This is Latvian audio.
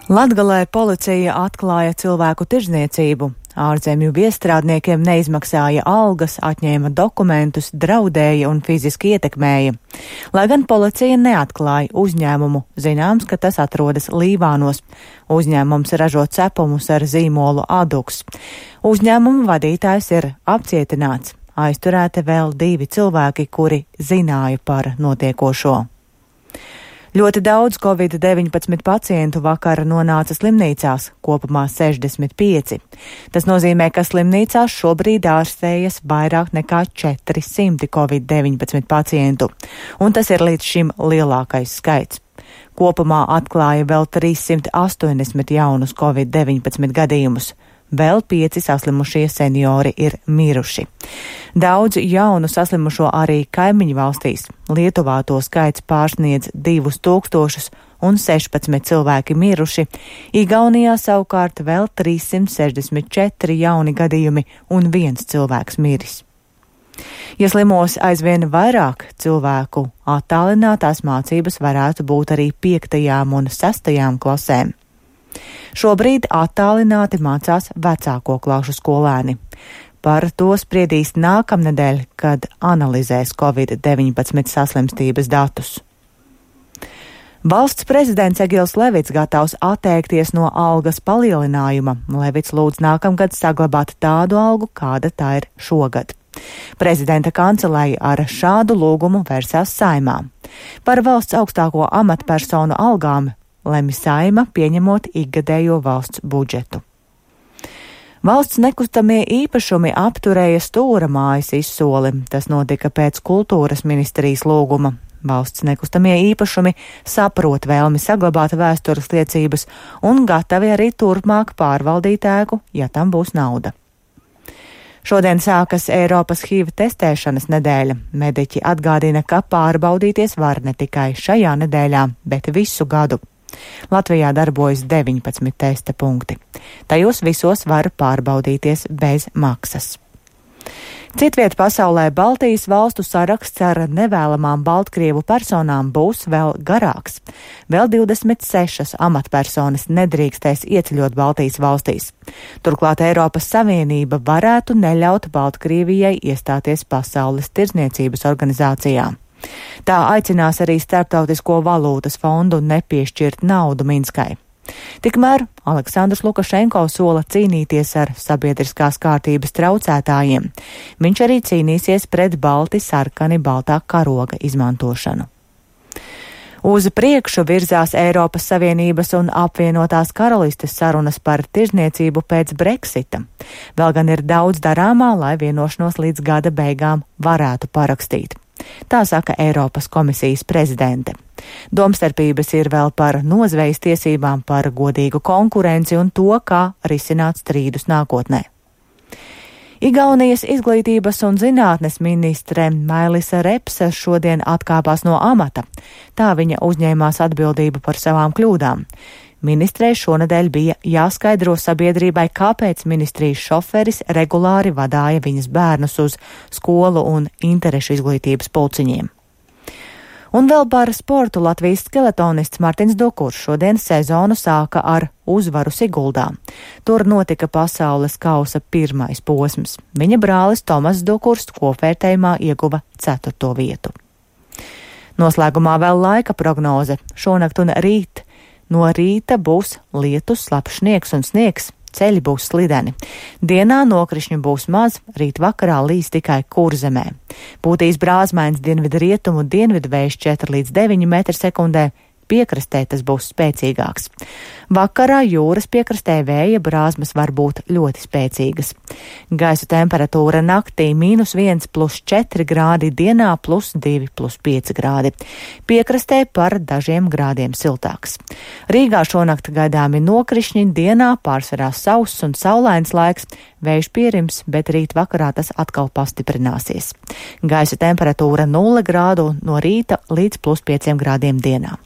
Latgalē policija atklāja cilvēku tirdzniecību. Ārzemju viestrādniekiem neizmaksāja algas, atņēma dokumentus, draudēja un fiziski ietekmēja. Lai gan policija neatklāja uzņēmumu, zināms, ka tas atrodas Līvānos. Uzņēmums ražo cepumus ar zīmolu Aduks. Uzņēmuma vadītājs ir apcietināts. Aizturēti vēl 2 cilvēki, kuri zināja par notiekošo. Ļoti daudz Covid-19 pacientu vakar nonāca slimnīcās, kopumā 65. Tas nozīmē, ka slimnīcās šobrīd ārstējas vairāk nekā 400 Covid-19 pacientu, un tas ir līdz šim lielākais skaits. Kopumā atklāja vēl 380 jaunus Covid-19 gadījumus. Vēl 5 saslimušie seniori ir miruši. Daudz jaunu saslimušo arī kaimiņu valstīs. Lietuvā to skaits pārsniedz 2000 un 16 cilvēki miruši. Igaunijā savukārt vēl 364 jauni gadījumi un 1 cilvēks miris. Ja slimos aizvien vairāk cilvēku, attālinātās mācības varētu būt arī 5. un 6. klasēm. Šobrīd attālināti mācās vecāko klašu skolēni. Par to spriedīs nākamnedēļ, kad analizēs Covid-19 saslimstības datus. Valsts prezidents Egils Levits gatavs atteikties no algas palielinājuma. Levits lūdz nākamgad saglabāt tādu algu, kāda tā ir šogad. Prezidenta kanceleja ar šādu lūgumu vērsās Saeimā. Par valsts augstāko amatpersonu algām lemj Saeima, pieņemot ikgadējo valsts budžetu. Valsts nekustamie īpašumi apturēja Stūra mājas izsoli. Tas notika pēc kultūras ministrijas lūguma. Valsts nekustamie īpašumi saprot vēlmi saglabāt vēstures liecības un gatavi arī turpmāk pārvaldīt ēku, ja tam būs nauda. Šodien sākas Eiropas HIV testēšanas nedēļa. Mediķi atgādina, ka pārbaudīties var ne tikai šajā nedēļā, bet visu gadu. Latvijā darbojas 19 testa punkti. Tajos visos var pārbaudīties bez maksas. Citviet pasaulē Baltijas valstu saraksts ar nevēlamām Baltkrievu personām būs vēl garāks. Vēl 26 amatpersonas nedrīkstēs ieceļot Baltijas valstīs. Turklāt Eiropas Savienība varētu neļaut Baltkrievijai iestāties Pasaules tirdzniecības organizācijā. Tā aicinās arī Starptautisko valūtas fondu nepiešķirt naudu Minskai. Tikmēr Aleksandrs Lukašenko sola cīnīties ar sabiedriskās kārtības traucētājiem. Viņš arī cīnīsies pret balti sarkani baltā karoga izmantošanu. Uz priekšu virzās Eiropas Savienības un apvienotās karalistes sarunas par tirdzniecību pēc Brexita. Vēl gan ir daudz darāmā, lai vienošanos līdz gada beigām varētu parakstīt. Tā saka Eiropas komisijas prezidente. Domstarpības ir vēl par nozvejas tiesībām, par godīgu konkurenci un to, kā risināt strīdus nākotnē. Igaunijas izglītības un zinātnes ministre Mailisa Repsa šodien atkāpās no amata. Tā viņa uzņēmās atbildību par savām kļūdām. Ministrei šonedēļ bija jāskaidro sabiedrībai, kāpēc ministrijas šoferis regulāri vadāja viņas bērnus uz skolu un interešu izglītības pulciņiem. Un vēl par sportu Latvijas skeletonists Martins Dukurs šodien sezonu sāka ar uzvaru Siguldā. Tur notika pasaules kausa pirmais posms. Viņa brālis Tomas Dukurs kopvērtējumā ieguva 4. vietu. Noslēgumā vēl laika prognoze. Šonakt un rīt. No rīta būs lietus, slapjš sniegs un sniegs, ceļi būs slideni. Dienā nokrišņu būs maz, rīt vakarā līs tikai Kurzemē. Būtīs brāzmains dienvidu rietumu dienvidu vējš 4 līdz 9 m/sekundē, piekrastē tas būs spēcīgāks. Vakarā jūras piekrastē vēja brāzmas var būt ļoti spēcīgas. Gaisa temperatūra naktī -1 + 4 grādi, dienā +2 + 5 grādi. Piekrastē par dažiem grādiem siltāks. Rīgā šonakt gaidāmi nokrišņi, dienā pārsvarā sauss un saulains laiks, vējš pierims, bet rīt vakarā tas atkal pastiprināsies. Gaisa temperatūra 0 grādu no rīta līdz +5 grādiem dienā.